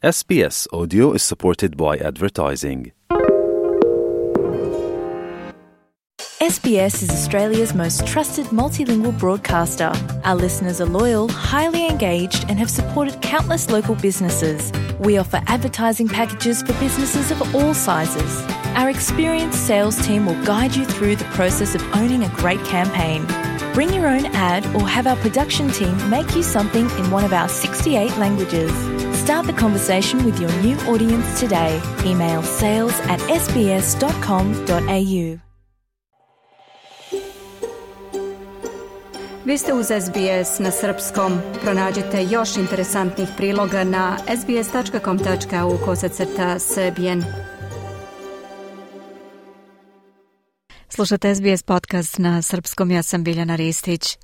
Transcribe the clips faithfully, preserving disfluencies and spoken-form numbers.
S B S Audio is supported by advertising. S B S is Australia's most trusted multilingual broadcaster. Our listeners are loyal, highly engaged, and have supported countless local businesses. We offer advertising packages for businesses of all sizes. Our experienced sales team will guide you through the process of owning a great campaign. Bring your own ad or have our production team make you something in one of our sixty-eight languages. Start the conversation with your new audience today. Email sales at s b s dot com dot a u. Vi ste uz S B S na srpskom. Pronađite još interesantnih priloga na s b s dot com dot a u kosacrta srbijen. Slušate S B S podcast na srpskom, ja sam Biljana Ristić.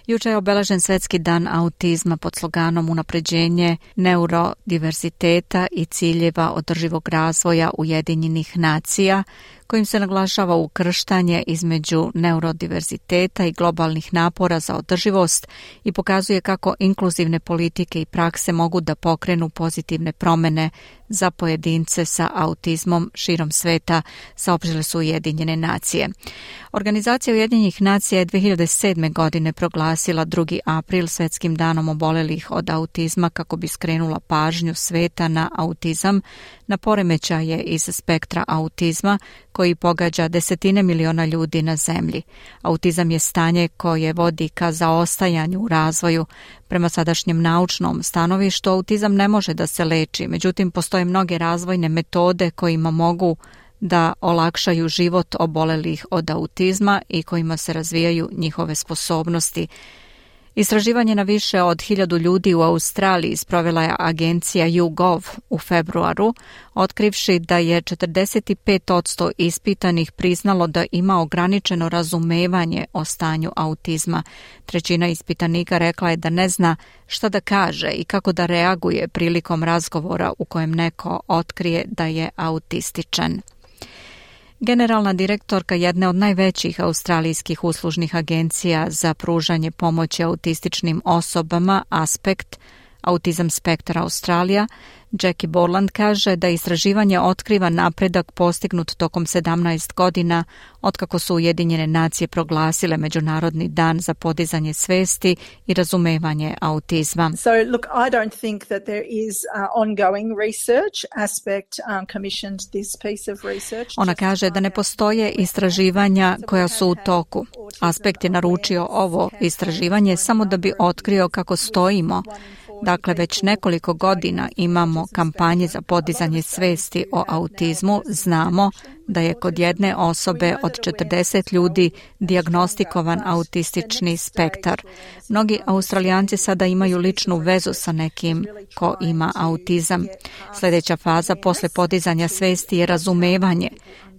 Juče je obeležen Svetski dan autizma pod sloganom Unapređenje neurodiverziteta i ciljeva održivog razvoja Ujedinjenih nacija, kojim se naglašava ukrštanje između neurodiverziteta i globalnih napora za održivost i pokazuje kako inkluzivne politike i prakse mogu da pokrenu pozitivne promene za pojedince sa autizmom širom sveta, saopštile su Ujedinjene nacije. Organizacija Ujedinjenih nacija je dve hiljade sedme. godine proglasila drugi april Svetskim danom obolelih od autizma kako bi skrenula pažnju sveta na autizam, na poremećaje iz spektra autizma koji pogađa desetine miliona ljudi na zemlji. Autizam je stanje koje vodi ka zaostajanju u razvoju. Prema sadašnjem naučnom stanovištu autizam ne može da se leči, međutim postoje mnoge razvojne metode kojima mogu da olakšaju život obolelih od autizma i kojima se razvijaju njihove sposobnosti. Istraživanje na više od hiljadu ljudi u Australiji sprovela je agencija YouGov u februaru, otkrivši da je četrdeset pet posto ispitanih priznalo da ima ograničeno razumevanje o stanju autizma. Trećina ispitanika rekla je da ne zna šta da kaže i kako da reaguje prilikom razgovora u kojem neko otkrije da je autističan. Generalna direktorka jedne od najvećih australijskih uslužnih agencija za pružanje pomoći autističnim osobama, Aspect, Autism Spectre Australia, Jackie Borland kaže da istraživanje otkriva napredak postignut tokom sedamnaest godina otkako su Ujedinjene nacije proglasile Međunarodni dan za podizanje svesti i razumevanje autizma. So look, I don't think that there is uh, ongoing research. Aspect um, commissioned this piece of research. Ona kaže da ne postoje istraživanja koja su u toku. Aspekt je naručio ovo istraživanje samo da bi otkrio kako stojimo. Dakle, već nekoliko godina imamo kampanje za podizanje svesti o autizmu. Znamo da je kod jedne osobe od četrdeset ljudi dijagnostikovan autistični spektar. Mnogi Australijanci sada imaju ličnu vezu sa nekim ko ima autizam. Sljedeća faza posle podizanja svesti je razumevanje.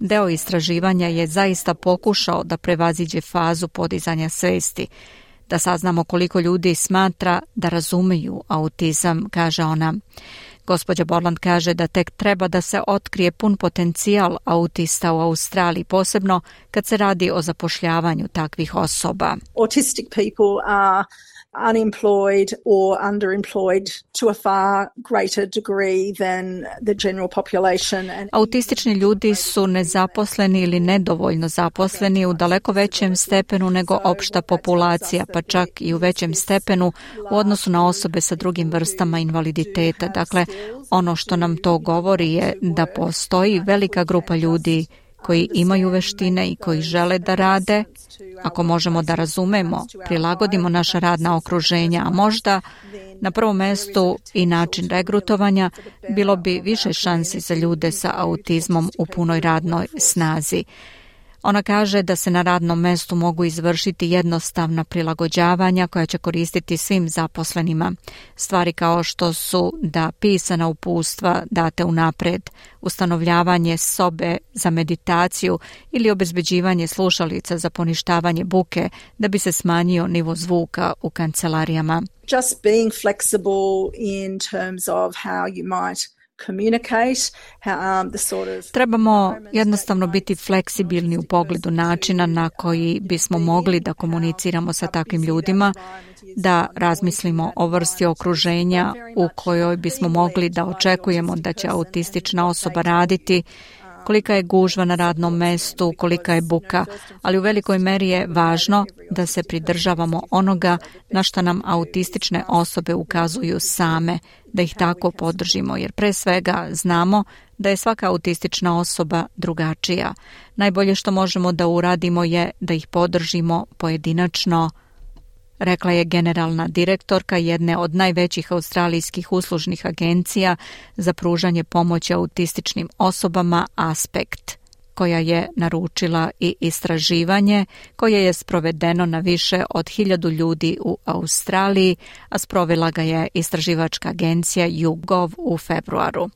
Deo istraživanja je zaista pokušao da prevaziđe fazu podizanja svesti, da saznamo koliko ljudi smatra da razumeju autizam, kaže ona. Gospođa Borland kaže da tek treba da se otkrije pun potencijal autista u Australiji, posebno kad se radi o zapošljavanju takvih osoba. Autistic people are unemployed or underemployed to a far greater degree than the general population. And autistični ljudi su nezaposleni ili nedovoljno zaposleni u daleko većem stepenu nego opšta populacija, pa čak i u većem stepenu u odnosu na osobe sa drugim vrstama invaliditeta. Dakle, ono što nam to govori je da postoji velika grupa ljudi koji imaju veštine i koji žele da rade. Ako možemo da razumemo, prilagodimo naša radna okruženja, a možda na prvom mestu i način regrutovanja, bilo bi više šansi za ljude sa autizmom u punoj radnoj snazi. Ona kaže da se na radnom mestu mogu izvršiti jednostavna prilagođavanja koja će koristiti svim zaposlenima. Stvari kao što su da pisana uputstva date unapred, ustanovljavanje sobe za meditaciju ili obezbeđivanje slušalica za poništavanje buke da bi se smanjio nivo zvuka u kancelarijama. Just being flexible in terms of how you might communicate, um, the sort of... Trebamo jednostavno biti fleksibilni u pogledu načina na koji bismo mogli da komuniciramo sa takvim ljudima, da razmislimo o vrsti okruženja u kojoj bismo mogli da očekujemo da će autistična osoba raditi, kolika je gužva na radnom mestu, kolika je buka, ali u velikoj meri je važno da se pridržavamo onoga na što nam autistične osobe ukazuju same, da ih tako podržimo, jer pre svega znamo da je svaka autistična osoba drugačija. Najbolje što možemo da uradimo je da ih podržimo pojedinačno, rekla je generalna direktorka jedne od najvećih australijskih uslužnih agencija za pružanje pomoći autističnim osobama Aspect, koja je naručila i istraživanje koje je sprovedeno na više od hiljadu ljudi u Australiji, a sprovela ga je istraživačka agencija YouGov u februaru.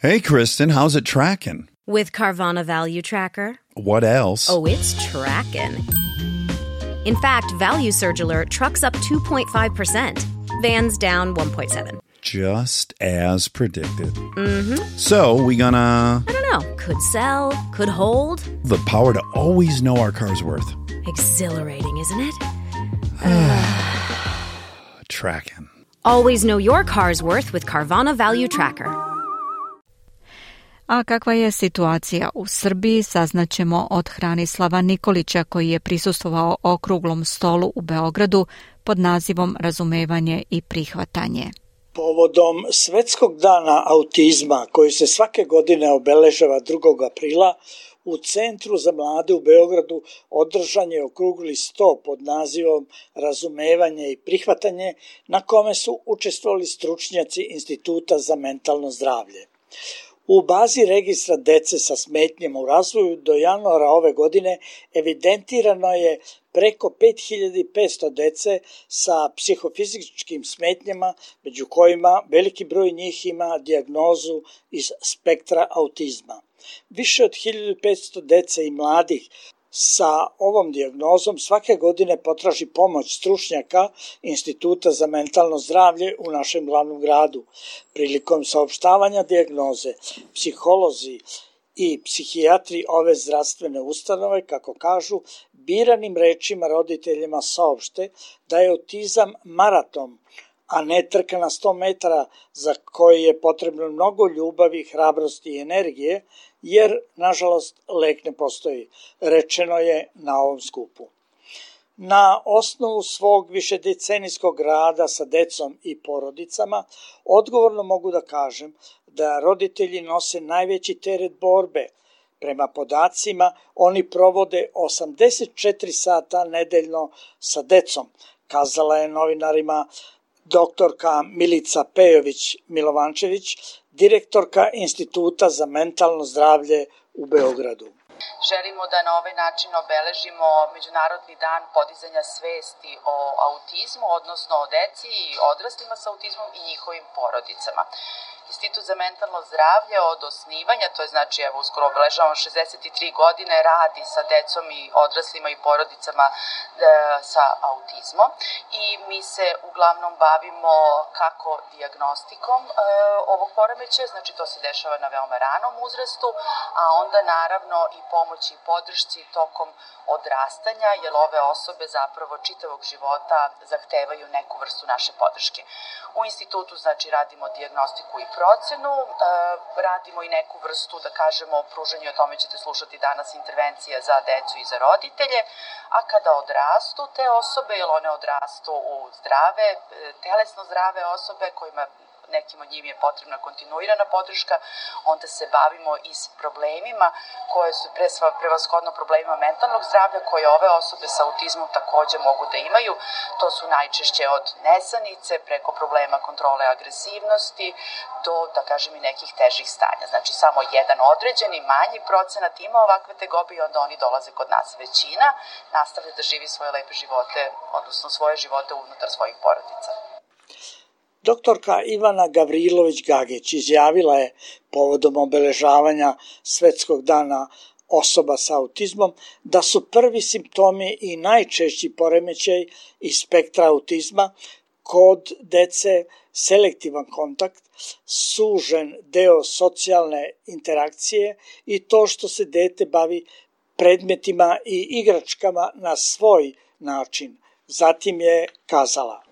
Hey Kristen, how's it tracking? With Carvana Value Tracker. What else? Oh, it's tracking. In fact, Value Surge Alert trucks up two point five percent. Vans down one point seven. Just as predicted. Mm-hmm. So, we gonna... I don't know. Could sell, could hold. The power to always know our car's worth. Exhilarating, isn't it? Tracking. Always know your car's worth with Carvana Value Tracker. A kakva je situacija u Srbiji, saznaćemo od Hranislava Nikolića, koji je prisustvovao okruglom stolu u Beogradu pod nazivom Razumevanje i prihvatanje. Povodom Svetskog dana autizma, koji se svake godine obeležava drugog aprila, u Centru za mlade u Beogradu održan je okrugli sto pod nazivom Razumevanje i prihvatanje, na kome su učestvovali stručnjaci Instituta za mentalno zdravlje. U bazi registra dece sa smetnjama u razvoju do januara ove godine evidentirano je preko pet hiljada petsto dece sa psihofizičkim smetnjama, među kojima veliki broj njih ima dijagnozu iz spektra autizma. Više od hiljadu petsto dece i mladih sa ovom dijagnozom svake godine potraži pomoć stručnjaka Instituta za mentalno zdravlje u našem glavnom gradu. Prilikom saopštavanja dijagnoze, psiholozi i psihijatri ove zdravstvene ustanove, kako kažu, biranim rečima roditeljima saopšte da je autizam maraton, a ne trka na sto metara za koji je potrebno mnogo ljubavi, hrabrosti i energije, jer, nažalost, lek ne postoji, rečeno je na ovom skupu. Na osnovu svog višedecenijskog rada sa decom i porodicama, odgovorno mogu da kažem da roditelji nose najveći teret borbe. Prema podacima, oni provode osamdeset četiri sata nedeljno sa decom, kazala je novinarima doktorka Milica Pejović-Milovančević, direktorka Instituta za mentalno zdravlje u Beogradu. Želimo da na ovaj način obeležimo Međunarodni dan podizanja svesti o autizmu, odnosno o deci i odraslima sa autizmom i njihovim porodicama. Institut za mentalno zdravlje od osnivanja, to je znači evo uskoro obeležavamo šezdeset tri godine, radi sa decom i odraslima i porodicama e, sa autizmom i mi se uglavnom bavimo kako dijagnostikom e, ovog poremećaja, znači to se dešava na veoma ranom uzrastu, a onda naravno i pomoći i podršci tokom odrastanja, jer ove osobe zapravo čitavog života zahtevaju neku vrstu naše podrške. U institutu znači radimo dijagnostiku i procenu, e, radimo i neku vrstu, da kažemo, pružanju, o tome ćete slušati danas, intervencija za decu i za roditelje, a kada odrastu te osobe, jer one odrastu u zdrave, telesno zdrave osobe kojima nekim od njim je potrebna kontinuirana podrška, onda se bavimo i s problemima koje su prevashodno problemima mentalnog zdravlja koje ove osobe sa autizmom takođe mogu da imaju. To su najčešće od nesanice preko problema kontrole agresivnosti do, da kažem, i nekih težih stanja. Znači samo jedan određeni manji procenat ima ovakve tegobe i onda oni dolaze kod nas. Većina nastavlja da živi svoje lepe živote, odnosno svoje živote unutar svojih porodica. Doktorka Ivana Gavrilović-Gageć izjavila je povodom obeležavanja Svetskog dana osoba sa autizmom da su prvi simptomi i najčešći poremećaj iz spektra autizma kod dece selektivan kontakt, sužen deo socijalne interakcije i to što se dete bavi predmetima i igračkama na svoj način. Zatim je kazala: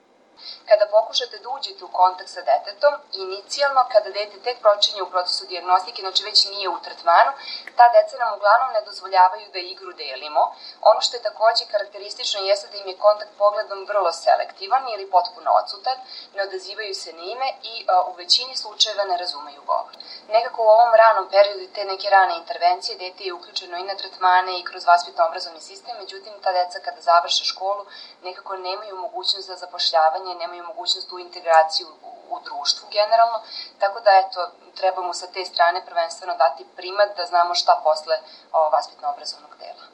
Kada pokušate da uđete u kontakt sa detetom, inicijalno kada dete tek počinje u procesu dijagnostike, znači već nije u tretmanu, ta deca nam uglavnom ne dozvoljavaju da igru delimo. Ono što je takođe karakteristično jeste da im je kontakt pogledom vrlo selektivan ili potpuno odsutan, ne odazivaju se na ime i a, u većini slučajeva ne razumeju govor. Nekako u ovom ranom periodu te neke rane intervencije dete je uključeno i na tretmane i kroz vaspitno-obrazovni sistem, međutim ta deca kada završe školu nekako nemaju mogućnost za zapošljavanje, nemaju mogućnost u integraciju u, u društvu generalno, tako da eto, trebamo sa te strane prvenstveno dati primat da znamo šta posle o, vaspitno-obrazovnog dela.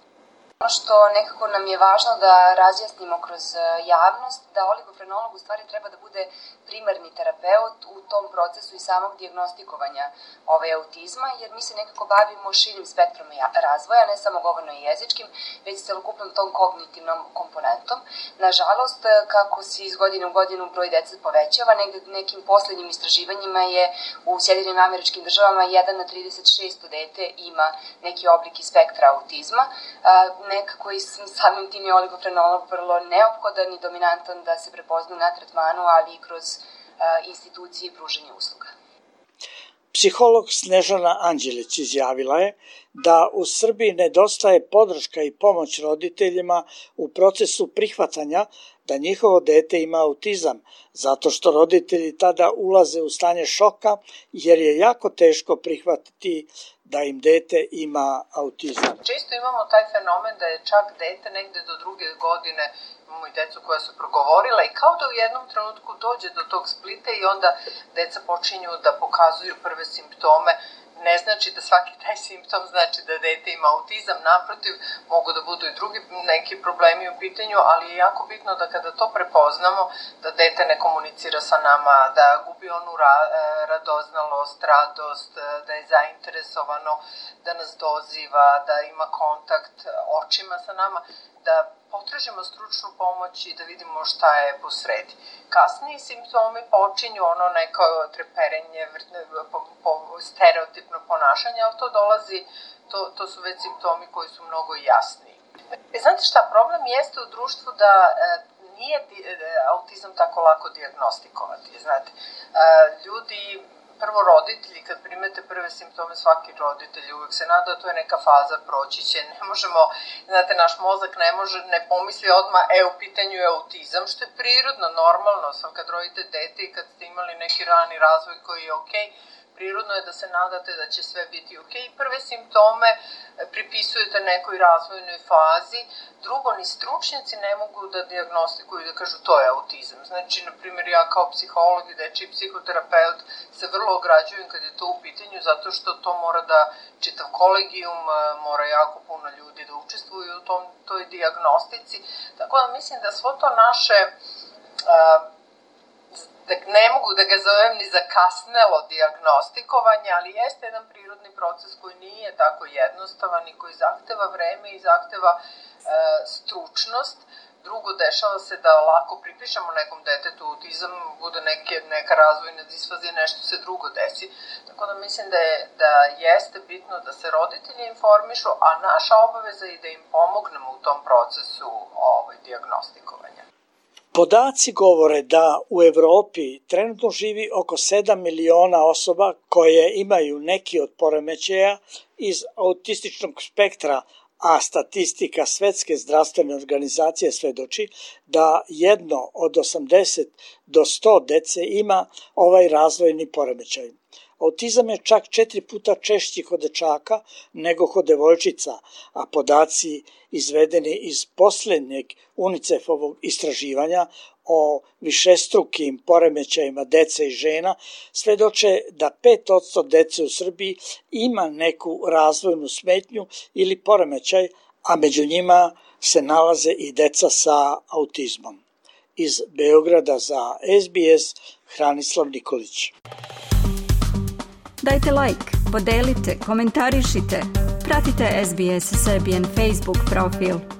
Ono što nekako nam je važno da razjasnimo kroz javnost, da oligofrenolog u stvari treba da bude primarni terapeut u tom procesu i samog dijagnostikovanja ovaj autizma, jer mi se nekako bavimo širim spektrom razvoja, ne samo govorno i jezičkim, već celokupnom tom kognitivnom komponentom. Nažalost, kako se iz godine u godinu broj dece povećava, negde nekim poslednjim istraživanjima je u Sjedinjenim Američkim Državama jedan na trideset šest dete ima neki oblik i spektra autizma. Nekako i samim tim je oligofrenolog vrlo neophodan i dominantan da se prepozna na tretmanu, ali i kroz uh, institucije i pruženje usluga. Psiholog Snežana Anđelić izjavila je da u Srbiji nedostaje podrška i pomoć roditeljima u procesu prihvatanja da njihovo dete ima autizam, zato što roditelji tada ulaze u stanje šoka jer je jako teško prihvatiti da im dete ima autizam. Često imamo taj fenomen da je čak dete negde do druge godine, imamo i decu koja su progovorila i kao da u jednom trenutku dođe do tog splita i onda deca počinju da pokazuju prve simptome. Ne znači da svaki taj simptom znači da dete ima autizam, naprotiv, mogu da budu i drugi neki problemi u pitanju, ali je jako bitno da kada to prepoznamo, da dete ne komunicira sa nama, da gubi onu ra- radoznalost, radost, da je zainteresovano, da nas doziva, da ima kontakt očima sa nama, da potražimo stručnu pomoć i da vidimo šta je po sredi. Kasniji simptomi počinju ono neko treperenje, po, po, stereotipno ponašanje, ali to dolazi, to, to su već simptomi koji su mnogo jasniji. E, znate šta, problem jeste u društvu da e, nije di, e, autizam tako lako dijagnostikovati. Znate, e, ljudi... Prvo roditelji, kad primete prve simptome, svaki roditelj uvek se nada da to je neka faza, proći će, ne možemo, znate, naš mozak ne može, ne pomisli odmah, e, u pitanju je autizam, što je prirodno, normalno, sam kad rodite dete i kad ste imali neki rani razvoj koji je okej, prirodno je da se nadate da će sve biti okej. Okay. Prve simptome pripisujete nekoj razvojnoj fazi. Drugo, ni stručnjaci ne mogu da dijagnostikuju i da kažu to je autizam. Znači, na primjer, ja kao psiholog i dečiji psihoterapeut se vrlo ograđujem kad je to u pitanju, zato što to mora da čitav kolegijum, mora jako puno ljudi da učestvuju u tom, toj dijagnostici. Tako da mislim da svo to naše... Uh, da ne mogu da ga zovem ni zakasnelo dijagnostikovanje, ali jeste jedan prirodni proces koji nije tako jednostavan i koji zahteva vreme i zahteva e, stručnost. Drugo, dešava se da lako pripišemo nekom detetu autizam, bude neke, neka razvojna disfazija, nešto se drugo desi. Tako da mislim da, je, da jeste bitno da se roditelji informišu, a naša obaveza je da im pomognemo u tom procesu ovaj, dijagnostikovanja. Podaci govore da u Evropi trenutno živi oko sedam miliona osoba koje imaju neki od poremećaja iz autističnog spektra, a statistika Svetske zdravstvene organizacije svedoči da jedno od osamdeset do sto dece ima ovaj razvojni poremećaj. Autizam je čak četiri puta češći kod dečaka nego kod devojčica, a podaci izvedeni iz poslednjeg UNICEF-ovog istraživanja o višestrukim poremećajima dece i žena svedoče da pet posto dece u Srbiji ima neku razvojnu smetnju ili poremećaj, a među njima se nalaze i deca sa autizmom. Iz Beograda za S B S, Hranislav Nikolić. Dajte like, podelite, komentarišite, pratite S B S Serbian Facebook profil.